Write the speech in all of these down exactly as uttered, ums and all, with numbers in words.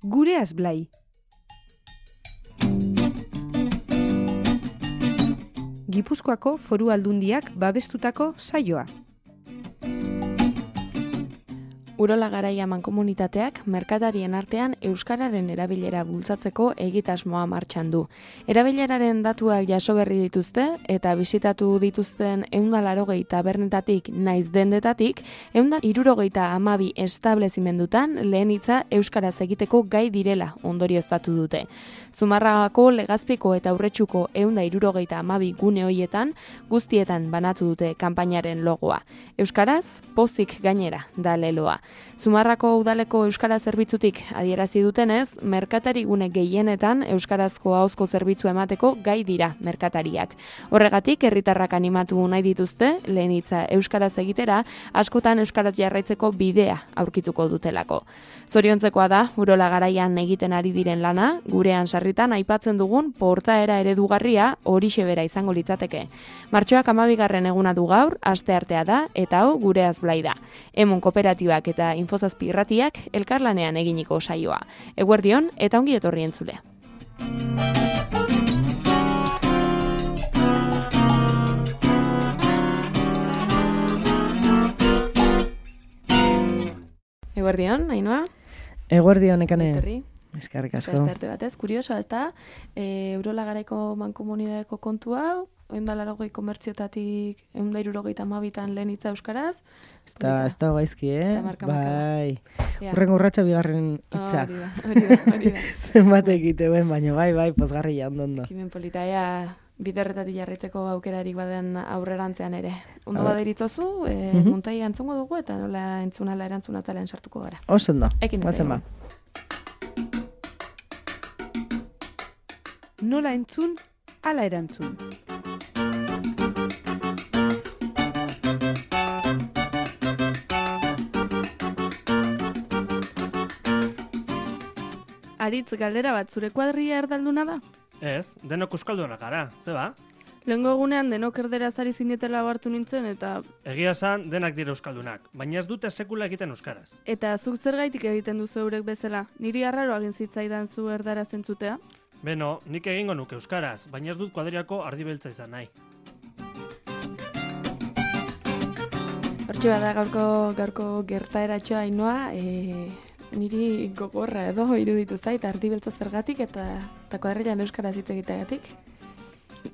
Gureaz Blai. Gipuzkoako Foru Aldundiak babestutako saioa. Urola Garaia mankomunitateak merkatarien artean euskararen erabilera bultzatzeko egitasmoa martxan du. Erabileraren datuak jaso berri dituzte eta bisitatu dituzten ehun eta laurogei tabernetatik naiz dendetatik ehun eta hirurogeita hamabi establezimendutan lehen hitza euskaraz egiteko gai direla ondorioztatu dute. Zumarragako, Legazpiko eta Aurretxuko ehun eta hirurogeita hamabi gune hoietan guztietan banatu dute kanpainaren logoa. Euskaraz, pozik gainera da leloa. Zumarrako udaleko euskara zerbitzutik adierazi dutenez, merkatari gune gehienetan euskarazko ahozko zerbitzua emateko gai dira merkatariak. Horregatik, herritarrak animatu nahi dituzte, lehen hitza euskaraz egitera, askotan euskaraz jarraitzeko bidea aurkituko dutelako. Zoriontzekoa da, Urola Garaian egiten ari diren lana, gurean sarritan aipatzen dugun portaera eredugarria horixe bera izango litzateke. Martxoak hamabigarren eguna du gaur, asteartea da, eta hau Gureaz Blai da. Emun kooperatibak eta Infozazpi irratiak elkarlanean eginiko saioa. Eguerdion eta ongi etorri entzule. Eguerdion, Ainhoa? Eguerdion, Ekane. Eskerrik asko. Estarte batez, kurioso, eta e, Urola Garaiko mankomunidadeko kontu hau, ehun eta laurogei komertziotatik ehun eta hirurogeita hamabitan lehen hitza euskaraz. Ez da gaizki, eh? Bai. Urrengo urratsa bigarren hitza. Hori da, hori da, hori da. Zenbat egite ben, baina bai, bai, pozgarria ondo. Kimen polita, ea, biderretatik jarraitzeko aukerarik baden aurrerantzean ere. Ondo baderitzozu, e, uh-huh. Muntai antzungo dugu eta nola entzunala erantzunatalean sartuko gara. Oso ondo. Ekin ba. Nola entzun, ala erantzun. Aritz, galdera bat, zure kuadrilla erdalduna da? Ez, denok euskaldunak gara, ze ba? Lehengo egunean denok erderaz ari zinetela hartu nintzen eta... Egia esan denak dira euskaldunak, baina ez dute sekula egiten euskaraz. Eta zuk zergaitik egiten duzu eurek bezala? Niri arraro egin zitzaidan zu erdara zentzutea? Beno, nik egingo nuke euskaraz, baina ez dut kuadriako ardibeltza izan nahi. Hortxe bada gaurko, gaurko gertaeratxoa Ainhoa, e, niri gogorra edo iruditu zait ardibeltza zergatik eta, eta kuadrilan euskaraz hitz egiteagatik.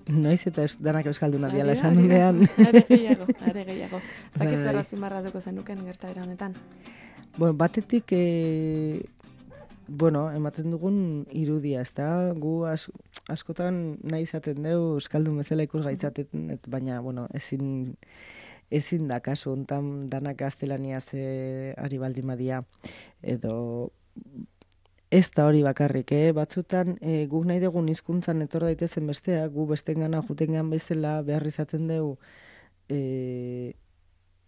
Noiz eta eus, danak euskalduna diala esan dunean. Are gehiago, are gehiago. Zakit zer azpimarratuko zenuken gertaera honetan. Bueno, batetik, e, bueno, ematen dugun irudia, ez da? Gu as, askotan nahi izaten dugu euskaldun bezala ikus gaitzaten, baina, bueno, ezin, ezin da kasu hontan danak gaztelaniaz e, ari baldin badia, edo... Ez da hori bakarrik, eh? Batzutan e, guk nahi dugun hizkuntzan etor daitezen bestea, gu bestengana jutengan bezala behar izaten dugu e,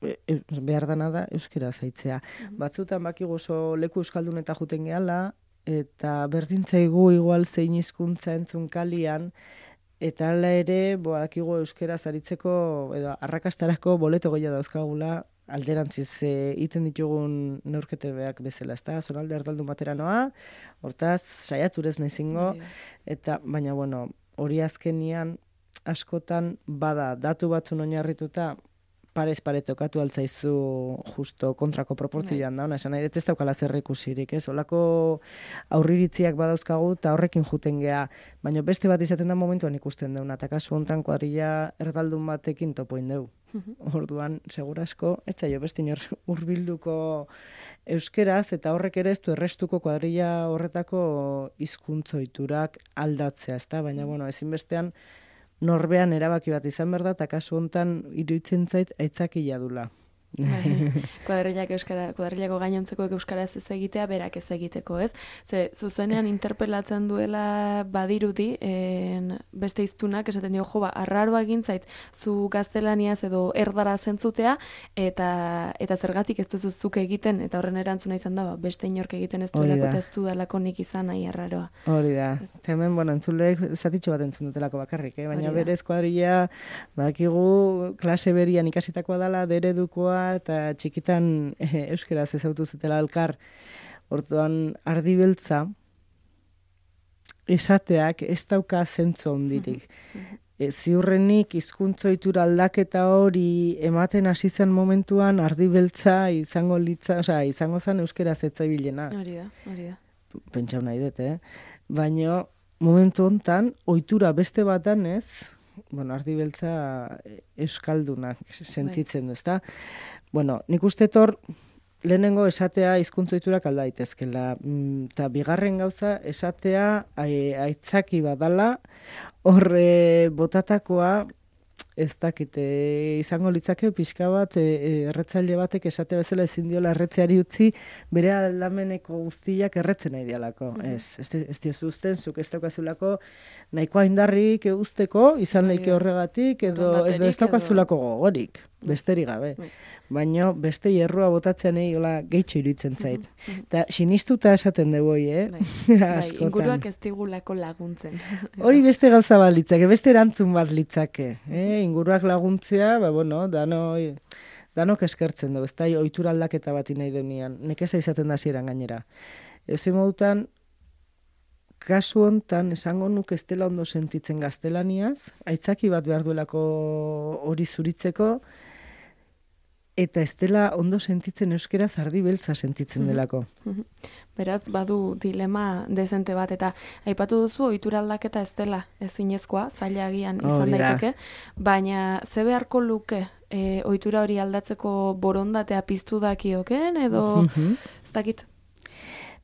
e, behar dana da euskera zaitzea. Mm-hmm. Batzutan bakigu oso leku euskaldun eta juten gehala, eta berdintzaigu igual zein hizkuntza entzun kalian, eta hala ere, badakigu euskera zaritzeko, edo arrakastarako boleto gehiago dauzkagula, alderantziz egiten e, ditugun neurketebeak bezala, ezta? Zonalde erdaldun batera noa, hortaz, saiaturez nahizingo, eta, baina, bueno, hori azkenian askotan bada datu batzun oinarrituta parez pare tokatu altzaizu justo kontrako proportzioan da, esan nahi dut ez daukala zer ikusirik, ez? Olako aurriritziak badauzkagu eta horrekin juten gea, baina beste bat izaten da momentuan ikusten deuna, eta kasu hontan kuadrilla erdaldun batekin topoin dugu. Orduan, segurasko, ez zaio beste inor hurbilduko euskeraz, eta horrek ere ez du errestuko kuadrilla horretako hizkuntzoiturak aldatzea, ezta? Baina, bueno, ezinbestean norbean erabaki bat izan behar da, eta kasu hontan iruditzen zait aitzakila dula. Kuadrillak euskara, kuadrillako gainontzekoek euskaraz ez egitea, berak ez egiteko, ez? Ze, zuzenean interpelatzen duela badirudi, en, beste hiztunak esaten dio, jo, ba, arraroa egin zait, zu gaztelaniaz edo erdara zentzutea, eta eta zergatik ez duzu zuk egiten, eta horren erantzuna izan da, ba, beste inork egiten ez duelako, eta ez dudalako nik izan nahi arraroa. Hori da. Eta hemen, bueno, entzulek zatitxo bat entzun dutelako bakarrik, eh? Baina berez kuadrilla, badakigu klase berian ikasitakoa dela, deredukoa, eta txikitan e, euskaraz ezautu zutela elkar, Orduan, ardi beltza, esateak ez dauka zentzu handirik. E, ziurrenik hizkuntzoitura aldaketa hori ematen hasi zen momentuan ardi beltza izango litza, osea, izango zen euskeraz etzaibilena. Hori da, hori da. Pentsau nahi dut, eh? Baina momentu hontan ohitura beste batan ez, bueno, ardi beltza euskaldunak sentitzen du, ezta? Bueno, nik uste tor lehenengo esatea hizkuntzoiturak alda daitezkela, eta bigarren gauza esatea aitzaki badala, horre botatakoa ez dakite izango litzake pixka bat e, erretzaile batek esate bezala ezin diola erretzeari utzi bere aldameneko guztiak erretzen nahi dialako. Mm-hmm. Ez, ez, ez diozu uzten, zuk ez daukazulako nahikoa indarrik usteko, izan leike horregatik, edo ez, ez daukazulako gogorik, besterik gabe. Mm. Baina beste hierrua botatzean egin gehitxo iruditzen zait. Eta sinistuta esaten dugu, eh? Bai, bai, inguruak ez digulako laguntzen. Hori beste gauza bat litzake, beste erantzun bat litzake. Eh? Inguruak laguntzea, ba, bueno, dano, danok eskertzen dugu, ez da, ohitura aldaketa bat nahi deunian. Nekeza izaten da ziren gainera. Ez modutan, kasu hontan esango nuk ez dela ondo sentitzen gaztelaniaz, aitzaki bat behar duelako hori zuritzeko, eta ez dela ondo sentitzen euskeraz ardi beltza sentitzen delako. Beraz, badu dilema dezente bat, eta aipatu duzu ohitura aldaketa ez dela ezinezkoa, zaila agian izan daiteke, baina ze beharko luke e, ohitura hori aldatzeko borondatea piztu dakioken, edo ez dakit?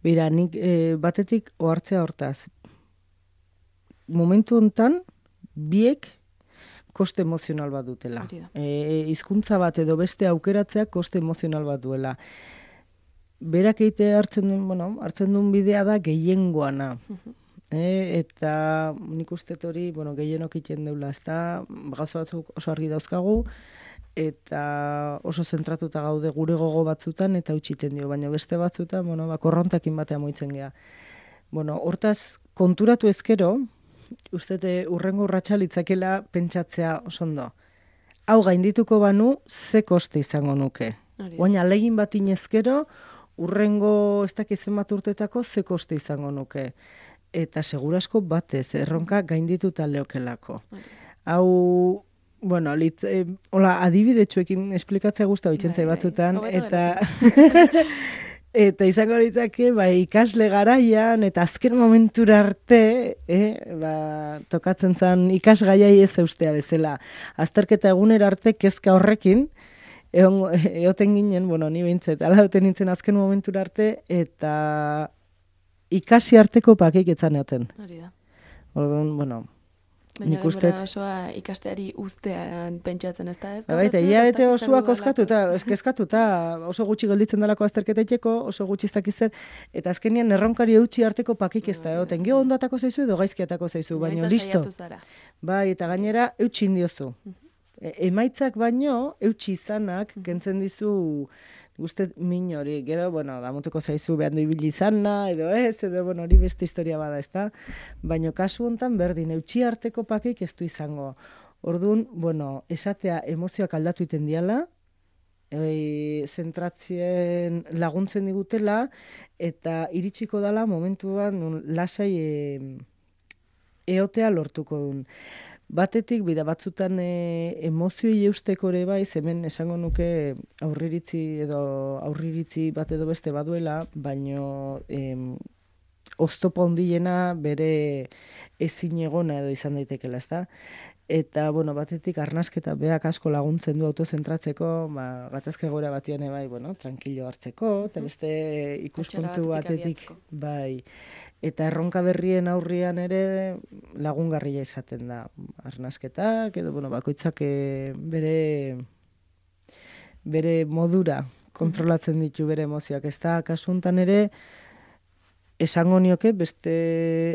Bira, nik e, batetik ohartzea hortaz. Momentu hontan, biek koste emozional bat dutela. E, hizkuntza bat edo beste aukeratzea koste emozional bat duela. Berak eite hartzen duen, bueno, hartzen duen bidea da gehiengoana. e, eta nik uste hori, bueno, gehienok iten deula, ez da, gauza batzuk oso argi dauzkagu, eta oso zentratuta gaude gure gogo batzutan, eta utxiten dio, baina beste batzutan, bueno, ba, korrontakin batean moitzen gea. Bueno, hortaz, konturatu ezkero, uste urrengo urratsa litzakela pentsatzea oso ondo. Hau gaindituko banu, ze koste izango nuke. Baina alegin bat inezkero, urrengo ez dakizen bat urtetako ze koste izango nuke. Eta segurasko batez, erronka gaindituta leokelako. Hau, bueno, litz, eh, hola, adibidetxuekin esplikatzea guzta bitxentzai batzutan, eta... Eta izango litzake, ba, ikasle garaian, eta azken momentura arte, eh, ba, tokatzen zen ikasgaiai ez eustea bezala. Azterketa egunera arte kezka horrekin, egon, eoten ginen, bueno, ni behintzet, ala eoten nintzen azken momentura arte, eta ikasi arteko pakik etzan eoten. Hori da. Orduan, bueno, baina denbora osoa ikasteari uztean pentsatzen ez da, ez? Baita, ia bete osoa kozkatuta, kezkatuta, oso gutxi gelditzen dalako azterketetxeko, oso gutxi ez dakiz zer, eta azkenian erronkari eutxi arteko pakik ez da, egoten, gio ondatako zaizu edo gaizkiatako zaizu, baino listo. Bai, eta gainera eutxi indiozu. E, emaitzak baino, eutxi izanak, kentzen dizu, guztet min hori, gero, bueno, damutuko zaizu behan ibili izana, edo ez, edo, bueno, hori beste historia bada, ez da? Baina kasu hontan berdin, eutxi arteko pakik ez du izango. Orduan, bueno, esatea emozioak aldatu iten diala, e, zentratzien laguntzen digutela, eta iritsiko dala momentuan lasai e, eotea lortuko duen. Batetik, bida batzutan e, emozioi eusteko ere bai, hemen esango nuke aurriritzi edo aurriritzi bat edo beste baduela, baino em, oztopo handiena bere ezin egona edo izan daitekela, ezta? Eta, bueno, batetik arnasketa beak asko laguntzen du autozentratzeko, ba, gatazka egoera batian bai, bueno, tranquilo hartzeko, eta beste ikuspuntu batetik, bai, eta erronka berrien aurrian ere lagungarria izaten da arnasketak, edo, bueno, bakoitzak bere, bere modura kontrolatzen ditu bere emozioak. Ez da, kasuntan ere, esango nioke beste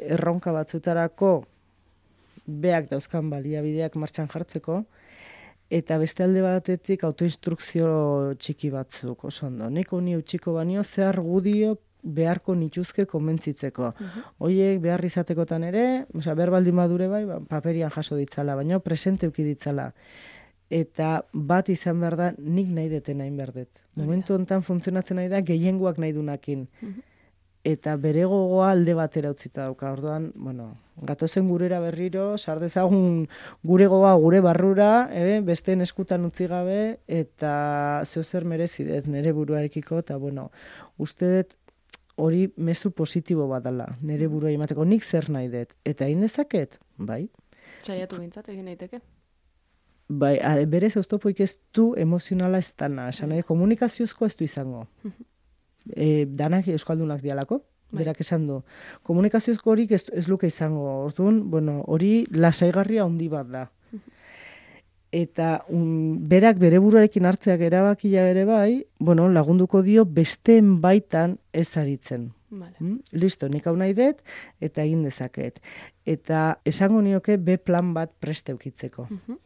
erronka batzutarako beak dauzkan baliabideak martxan jartzeko, eta beste alde batetik autoinstrukzio txiki batzuk, oso ondo. Neko ni utxiko banio zehar gudiok beharko nituzke konbentzitzeko. Uh-huh. Oiek behar izatekotan ere, osea, behar baldin badure bai, ba, paperian jaso ditzala, baina presente uki ditzala. Eta bat izan behar da, nik nahi deten nahi behar dut. Momentu honetan funtzionatzen nahi da, gehiengoak nahi dunakin. Uh-huh. eta bere gogoa alde batera utzita dauka. Orduan, bueno, gatozen gurera berriro, sar dezagun gure gogoa gure barrura, eh, besteen eskutan utzi gabe, eta zeo zer merezi dut nire buruarekiko, eta bueno, uste dut hori mezu positibo bat dela, nire burua emateko, nik zer nahi dut, eta egin dezaket, bai. Saiatu bintzat egin daiteke. Bai, are, berez oztopoik ez du emozionala ez dana, esan nahi, komunikazioezko ez du izango. E, danak euskaldunak dialako, berak esan du. Komunikazioezko horik ez, ez luke izango, orduan, bueno, hori lasaigarria handi bat da. Eta um, berak bere buruarekin hartzeak erabakia ere bai, bueno, lagunduko dio besteen baitan ez aritzen. Vale. Mm? Listo, nik hau nahi dut, eta egin dezaket. Eta esango nioke be plan bat preste eukitzeko. Uh-huh.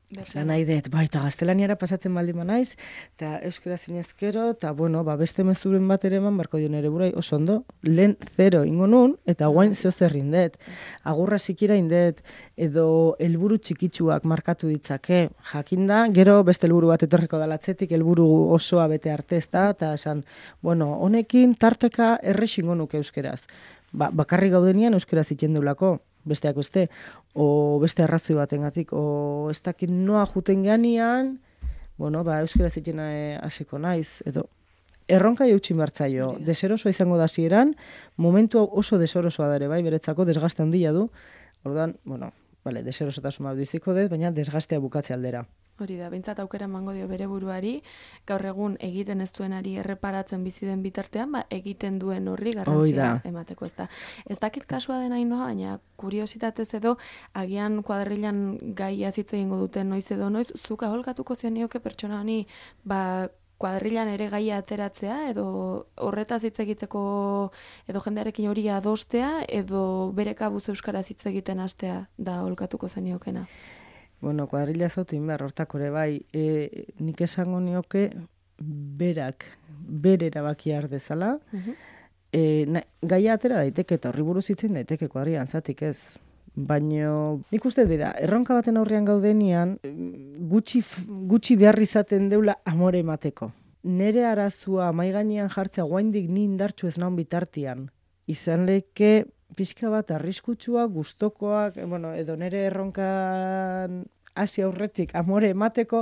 Esan nahi dut, bai, eta gaztelaniara pasatzen baldin naiz, eta euskera zinezkero, eta bueno, ba, beste mezuren bat ere eman, barko dio nere burai, oso ondo, lehen zero ingo nun, eta guain zeo zer indet. Agurra zikira indet, edo helburu txikitsuak markatu ditzake, jakinda, gero beste helburu bat etorreko dalatzetik, helburu osoa bete arte ez da, eta esan, bueno, honekin tarteka errex ingo nuke euskeraz. Ba, bakarrik gaudenian euskera zitzen deulako, besteak beste, o beste arrazoi batengatik, o ez dakit noa juten geanian, bueno, ba, euskera zitzen hasiko naiz, edo erronka jautxin bartzaio, deserosoa izango da zieran, momentu oso deserosoa dare, bai, beretzako desgaste handia du, orduan, bueno, vale, deserosotasun bat biziko dut, baina desgastea bukatze aldera. Hori da, behintzat aukera emango dio bere buruari, gaur egun egiten ez duenari erreparatzen bizi den bitartean, ba, egiten duen horri garrantzia emateko ez da. Ez dakit kasua dena inoa, baina kuriositatez edo, agian kuadrilan gai azitze egingo duten noiz edo noiz, zuk aholkatuko zenioke pertsona honi, ba, kuadrilan ere gaia ateratzea, edo horretaz hitz egiteko, edo jendearekin hori adostea, edo bere kabuz euskaraz hitz egiten hastea da aholkatuko zeniokena. Bueno, kuadrilla zautu inbehar, hortako ere bai, e, nik esango nioke berak, bere erabakia ardezala, uh-huh. e, na, gaia atera daiteke, eta horri buruz hitzen daiteke kuadrilla antzatik ez. Baina nik uste beda, erronka baten aurrean gaudenian, gutxi, gutxi behar izaten deula amore emateko. Nere arazua maigainean jartzea guaindik ni indartxu ez naun bitartian. Izan leke pixka bat arriskutsua, gustokoak, bueno, edo nere erronkan hasi aurretik amore emateko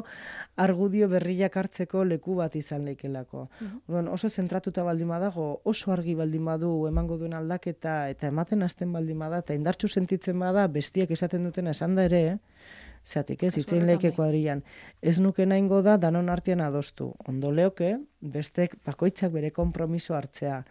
argudio berriak hartzeko leku bat izan leikelako. Uh-huh. Bueno, oso zentratuta baldin badago, oso argi baldin badu emango duen aldaketa eta ematen hasten baldin bada eta indartsu sentitzen bada bestiek esaten dutena esan da ere, eh? Zatik ez, itzein leike kuadrilan. Ez nuke nahingo da danon artean adostu. Ondo leoke, bestek bakoitzak bere konpromiso hartzea.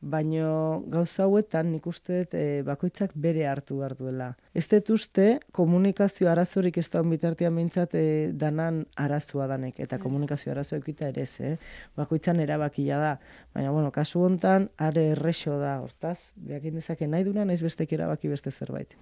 Baina gauza hauetan nik uste dut e, bakoitzak bere hartu behar duela. Ez dut uste komunikazio arazorik ez da bitartean behintzat e, danan arazoa danek, eta komunikazio arazoa ekita ere ez, eh? Bakoitzan erabakia da. Baina, bueno, kasu hontan are errexo da, hortaz, behakin dezake nahi duna, naiz bestek erabaki beste zerbait.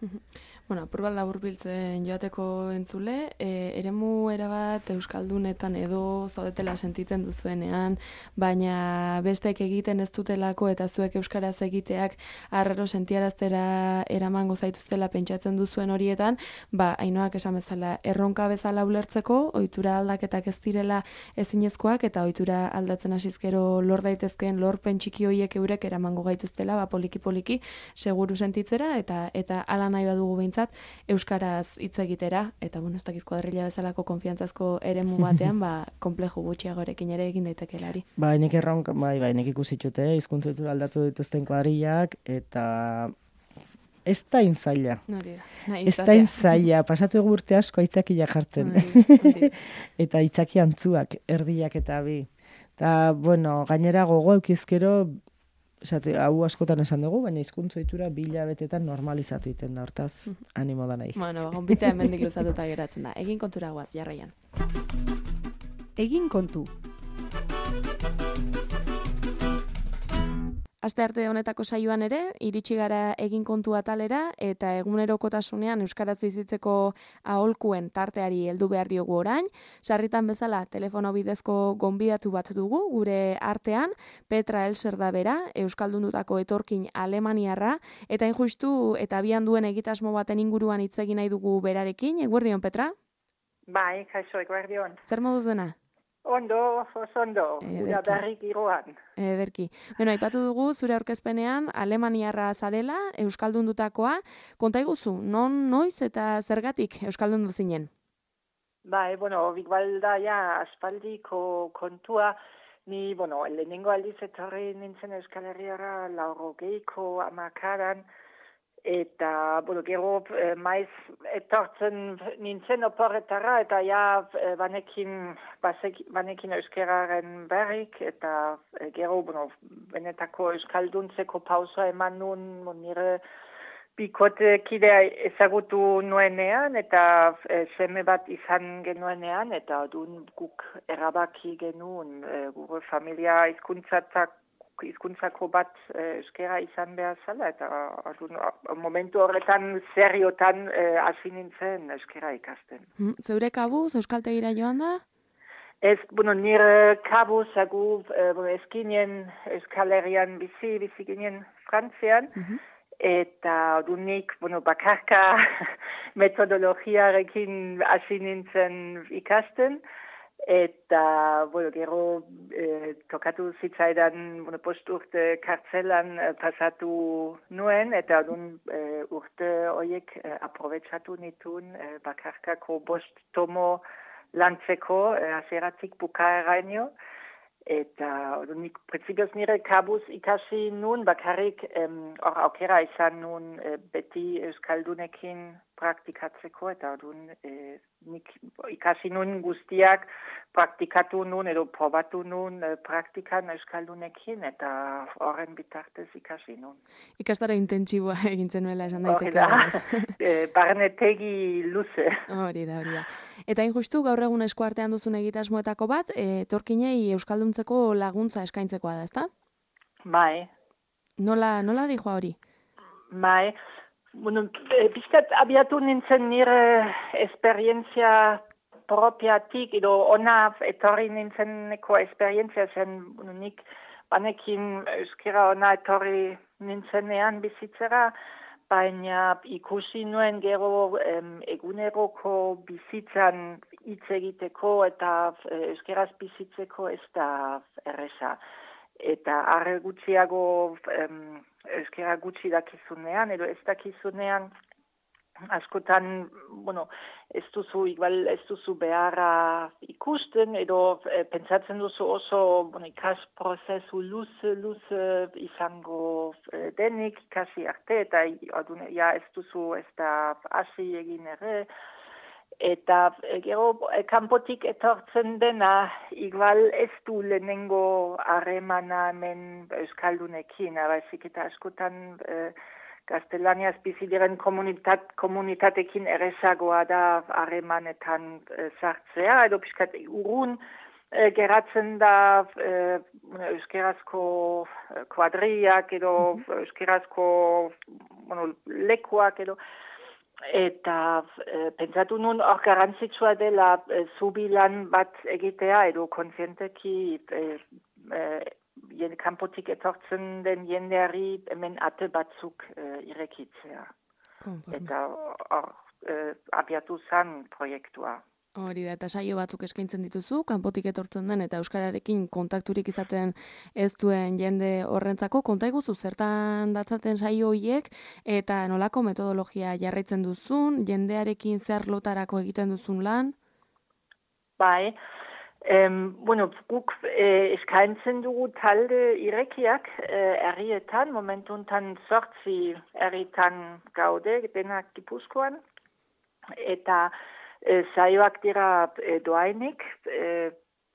Bueno, apurbat laburbiltzen joateko entzule, e, eremu erabat euskaldunetan edo zaudetela sentitzen duzuenean, baina bestek egiten ez dutelako eta zuek euskaraz egiteak arraro sentiaraztera eramango zaituztela pentsatzen duzuen horietan, ba, Ainoak esan bezala erronka bezala ulertzeko, ohitura aldaketak ez direla ezinezkoak eta ohitura aldatzen hasizkero lor daitezkeen lorpen txiki horiek eurek eramango gaituztela, ba, poliki-poliki seguru sentitzera eta eta hala nahi badugu behintzat euskaraz hitz egitera, eta bueno, ez dakit kuadrilla bezalako konfiantzazko eremu batean, ba, konpleju gutxiagorekin ere egin daitekelari. Ba, nik erronka, bai, bai, nik ikusitxute, hizkuntza ohitura aldatu dituzten kuadrillak, eta ez da inzaila. Ez da inzaila, pasatu egu urte asko aitzakia jartzen. Eta aitzaki antzuak, erdiak eta bi. Eta, bueno, gainera gogo eukizkero, esate, hau askotan esan dugu, baina hizkuntza ohitura bi hilabetetan normalizatu egiten da, hortaz, animo da nahi. Bueno, gonbitea hemendik luzatuta geratzen da. Egin kontura guaz, jarraian. Egin kontu. Astearte honetako saioan ere, iritsi gara egin kontu atalera eta egunerokotasunean euskaraz bizitzeko aholkuen tarteari heldu behar diogu orain. Sarritan bezala telefono bidezko gonbidatu bat dugu gure artean, Petra Elser da bera, euskaldundutako etorkin alemaniarra, eta injustu eta abian duen egitasmo baten inguruan hitz egin nahi dugu berarekin. Eguerdion, Petra? Bai, kaixo, eguerdion. Zer moduz dena? Ondo, oso ondo, gura Ederki. berrik giroan. Ederki. Bueno, aipatu dugu zure aurkezpenean alemaniarra zarela, euskaldundutakoa. Konta iguzu, non, noiz eta zergatik euskaldundu zinen? Bai, bueno, igual da ja aspaldiko kontua, ni, bueno, lehenengo aldiz etorri nintzen Euskal Herriara laurogeiko amakaran, eta, bueno, gero eh, maiz etortzen nintzen oporretara, eta ja eh, banekin, basek, banekin euskeraren berrik, eta eh, gero, bueno, benetako euskalduntzeko pausoa eman nun, nire bikote kidea ezagutu nuenean, eta e, seme bat izan genuenean, eta dun guk erabaki genuen, e, gure familia hizkuntzatak hizkuntzako bat e, euskera izan behar zala, eta adun, momentu horretan zerriotan e, hasi nintzen euskera ikasten. Hmm, zeure kabuz, euskaltegira joan da? Ez, bueno, nire kabuz, agu, e, bueno, eskinen Euskal Herrian bizi, bizi ginen Frantzian, Mhm. Eta dunik, bueno, bakarka metodologiarekin hasi nintzen ikasten, eta, bueno, gero eh, tokatu zitzaidan, bueno, post urte kartzelan eh, pasatu nuen, eta dun eh, urte horiek eh, aprobetsatu nituen eh, bakarkako bost tomo lantzeko, eh, hasieratik bukaeraino. Eta nik printzipioz nire kabuz ikasi nun, bakarrik hor em, aukera izan nun e, beti euskaldunekin praktikatzeko, eta dun e, nik ikasi nun guztiak praktikatu nun edo probatu nun e, praktikan euskaldunekin, eta horren bitartez ikasi nun. Ikastaro intentsiboa egintzen nuela esan daiteke. Hori da, e, barnetegi luze. Hori da, hori da. Eta hain justu gaur egun eskuartean duzun egitasmoetako bat, e, etorkinei euskalduntzeko laguntza eskaintzekoa da, ezta? Bai. Nola, nola dijoa hori? Bai. Bueno, bizkat abiatu nintzen nire esperientzia propiatik, edo ona etorri nintzeneko esperientzia zen, bueno, nik banekin euskera ona etorri nintzenean bizitzera, baina ikusi nuen gero em, eguneroko bizitzan hitz egiteko eta euskeraz bizitzeko ez da erresa. Eta arre gutxiago em, euskera gutxi dakizunean, edo ez dakizunean, askotan, bueno, ez duzu, igual ez duzu beharra ikusten, edo e, pentsatzen duzu oso, bueno, ikas prozesu luze, luze izango e, denik, ikasi arte, eta adun, ja, ez duzu ez da hasi egin ere, eta e, gero e, kanpotik etortzen dena, igual ez du lehenengo harremana hemen euskaldunekin, baizik eta askotan e, gaztelaniaz bizi diren komunitat, komunitatekin errezagoa da harremanetan e, sartzea, edo pixkat urrun e, geratzen da e, euskerazko kuadriak edo euskerazko bueno, lekuak edo, eta e, pentsatu nun hor garrantzitsua dela e, zubilan bat egitea edo kontzienteki e, e, Jen, kanpotik etortzen den jendeari hemen ate batzuk e, irekitzea. Konforme. Eta hor e, abiatu zen proiektua. Hori da, eta saio batzuk eskaintzen dituzu, kanpotik etortzen den eta euskararekin kontakturik izaten ez duen jende horrentzako. Konta iguzu, zertan datzaten saio horiek eta nolako metodologia jarraitzen duzun, jendearekin zer lotarako egiten duzun lan? Bai, Em, bueno, guk eh, eskaintzen dugu talde irekiak eh, herrietan, momentuntan zortzi herritan gaude, denak Gipuzkoan, eta eh, saioak dira eh, doainik, eh,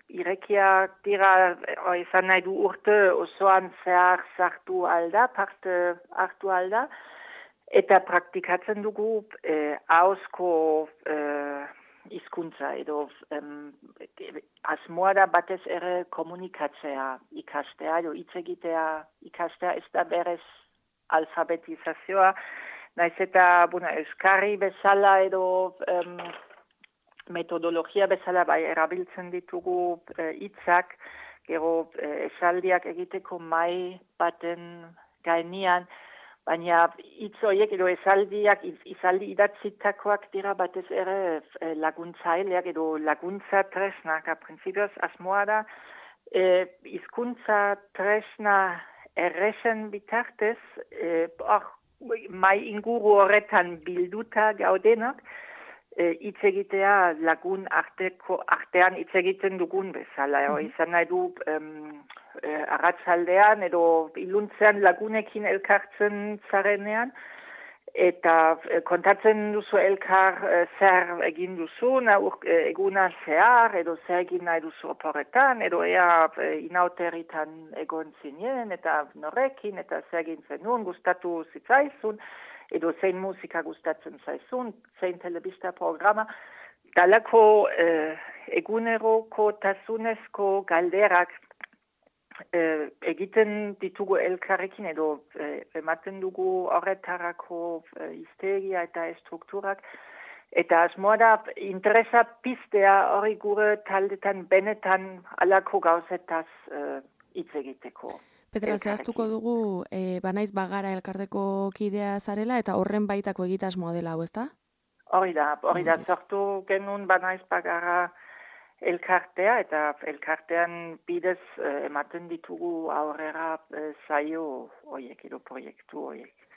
irekiak dira, eh, izan nahi du urte osoan zehar sartu alda, parte hartu alda, eta praktikatzen dugu eh, ahozko eh, hizkuntza edo um, asmoa da batez ere komunikatzea ikastea edo hitz egitea ikastea ez da berez alfabetizazioa, naiz eta bueno, euskarri bezala edo um, metodologia bezala bai erabiltzen ditugu hitzak, uh, gero uh, esaldiak egiteko mai baten gainean, baina hitz horiek edo esaldiak, izaldi idatzitakoak dira batez ere laguntzaileak edo laguntza tresnak, a prinsipioz asmoa da, e, hizkuntza tresna erresen bitartez, e, or, mai inguru horretan bilduta gaudenak, hitz e, egitea lagun arteko, artean hitz egiten dugun bezala. Mm-hmm. Izan nahi du um, e, arratsaldean edo iluntzean lagunekin elkartzen zarenean, eta e, kontatzen duzu elkar e, zer egin duzu, naur, e, eguna zehar, edo zer egin nahi duzu oporretan, edo ea e, inauteritan egon zinen, eta norekin, eta zer egin zenun, gustatu zitzaizun, edo zein musika gustatzen zaizun, zein telebista programa, dalako eh, eguneroko tasunezko galderak eh, egiten ditugu elkarrekin, edo eh, ematen dugu horretarako eh, hiztegia eta estrukturak, eta asmoa da interesa piztea hori gure taldetan benetan alako gauzetaz hitz eh, egiteko. Petra, zehaztuko dugu, e, banaiz bagara elkarteko kidea zarela, eta horren baitako egitasmoa dela, hau, ezta? Hori da, hori da, sortu genuen banaiz bagara elkartea, eta elkartean bidez eh, ematen ditugu aurrera eh, zaio horiek, edo proiektu horiek.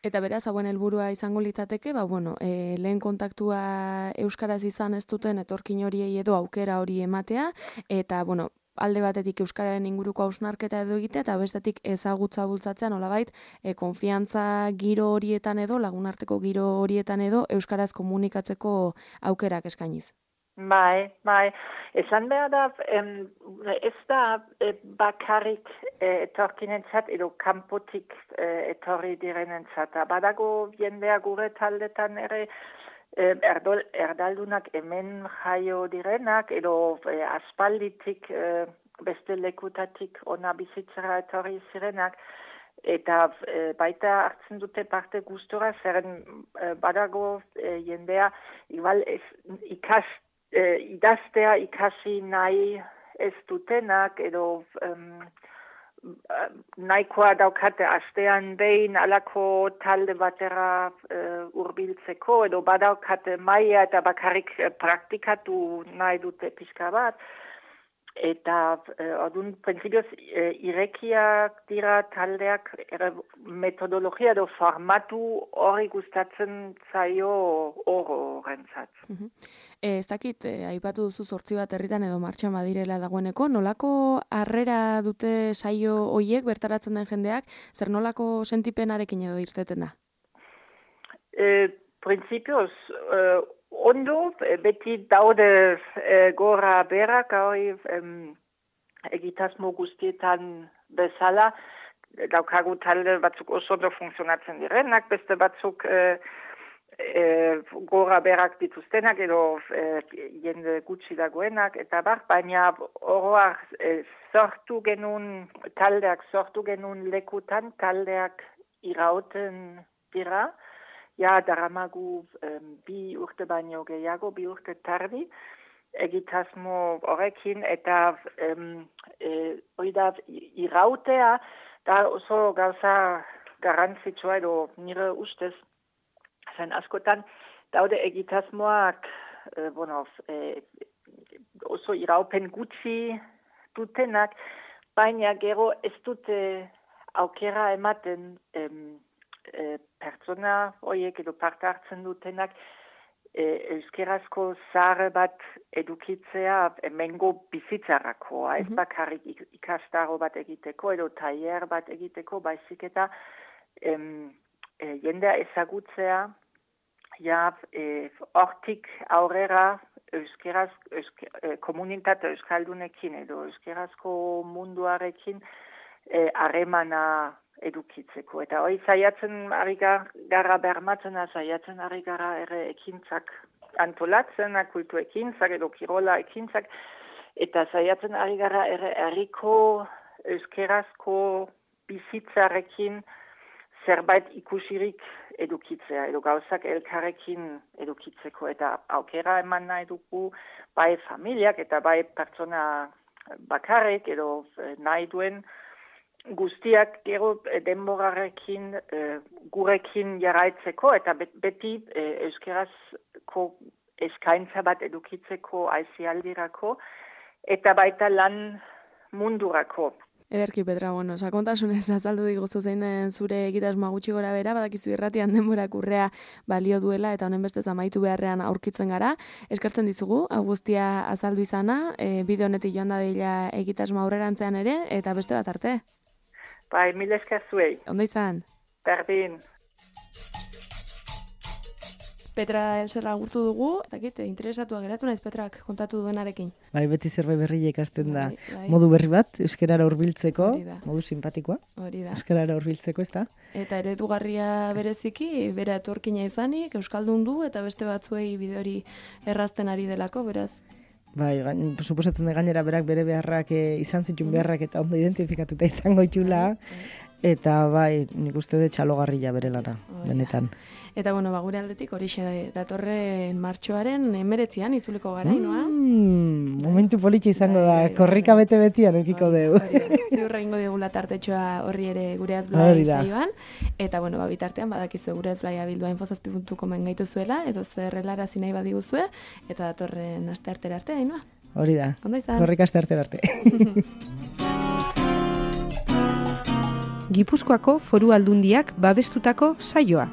Eta beraz, hauen helburua izango litzateke, ba, bueno, e, lehen kontaktua euskaraz izan ez duten etorkin horiei edo aukera hori ematea, eta, bueno, alde batetik euskararen inguruko hausnarketa edo egitea, eta bestetik ezagutza bultzatzea nolabait, e, konfiantza giro horietan edo, lagunarteko giro horietan edo, euskaraz komunikatzeko aukerak eskainiz. Bai, bai. Esan behar da, em, ez da e, bakarrik e, etorkinentzat edo kanpotik e, etorri direnentzat. Badago jendea gure taldetan ere, Erdol, erdaldunak hemen jaio direnak, edo e, aspalditik e, beste lekutatik ona bizitzera etorri zirenak, eta e, baita hartzen dute parte gustora, zeren e, badago e, jendea, igual ez, ikas, e, idaztea ikasi nahi ez dutenak, edo um, nahikoa daukate astean behin alako talde batera uh, urbiltzeko, edo badaukate maia eta bakarrik uh, praktikatu nahi dute pixka bat. Eta uh, odun prinsipioz uh, irekiak dira taldeak ere metodologia edo formatu hori gustatzen zaio oro rentzat. Mm-hmm. Ez dakit, eh, aipatu duzu zortzi bat herritan edo martxan badirela dagoeneko, nolako harrera dute saio hoiek bertaratzen den jendeak, zer nolako sentipenarekin edo irteten da? E, Printzipioz, e, ondo, beti daude e, gora berak, hori em, egitasmo guztietan bezala, daukagu talde batzuk oso ondo funtzionatzen direnak, beste batzuk e, E, gora berak dituztenak edo e, jende gutxi dagoenak eta bar, baina oroak e, sortu genuen taldeak sortu genuen lekutan taldeak irauten dira, ja daramagu e, bi urte baino gehiago, bi urte tardi egitasmo horrekin eta em, e, hori da irautea da oso gauza garrantzitsua edo nire ustez zen askotan daude egitasmoak eh, bueno, eh, oso iraupen gutxi dutenak, baina gero ez dute aukera ematen em, eh, pertsona horiek edo parte hartzen dutenak eh, euskerazko zahar bat edukitzea emengo bizitzarako, mm-hmm. ez bakarrik ikastaro bat egiteko edo tailer bat egiteko, baizik eta em, e, jendea ezagutzea ja, e, hortik aurrera euskeraz, euske, e, komunitate euskaldunekin edo euskerazko munduarekin harremana e, edukitzeko. Eta hori zaiatzen ari gara bermatzen, zaiatzen ari gara ere ekintzak antolatzen, kultu ekintzak edo kirola ekintzak, eta zaiatzen ari gara ere herriko euskerazko bizitzarekin zerbait ikusirik edukitzea, edo gauzak elkarrekin edukitzeko, eta aukera eman nahi dugu bai familiak eta bai pertsona bakarrik edo nahi duen guztiak gero eh, denborarekin eh, gurekin jarraitzeko eta beti eh, euskerazko eskaintza bat edukitzeko aizialdirako eta baita lan mundurako. Ederki, Petra, bueno, sakontasunez azaldu diguzu zein den zure egitasmoa gutxi gora bera, badakizu irratian denborak urrea balio duela eta honen bestez amaitu beharrean aurkitzen gara. Eskertzen dizugu, hau guztia azaldu izana, e, bide honetik joan da deila egitasmoa aurrerantzean ere, eta beste bat arte. Bai, mil esker zuei. Ondo izan? Berdin. Petra Elserra agurtu dugu, eta kit, interesatua geratu naiz Petrak kontatu duenarekin. Bai, beti zerbait berri ikasten da. Bai, bai. Modu berri bat, euskarara hurbiltzeko, Hori da. modu simpatikoa, Hori da. euskarara hurbiltzeko, ez da? Eta eredugarria bereziki, bera etorkina izanik, euskaldun du, eta beste batzuei bide hori errazten ari delako, beraz. Bai, gain, suposatzen da gainera berak bere beharrak e, izan zituen beharrak eta ondo identifikatuta izango itxula. Eta bai, nik uste dut txalogarria bere lana, benetan. Eta bueno, ba, gure aldetik horixe datorren martxoaren emeretzian itzuliko gara, inoa? Mm, momentu politxe izango da, korrika bete-betian eukiko dugu. Ziurra ingo digula tartetxoa horri ere gure azblai saioan. Eta bueno, ba, bitartean badakizu gure azblaia bildua infozazpi puntu comen gaitu zuela, edo zerrelarazi nahi badiguzue, eta datorren aste artera arte, inoa? Hori da, Ondo izan. korrika aste artera arte. Gipuzkoako Foru Aldundiak babestutako saioa.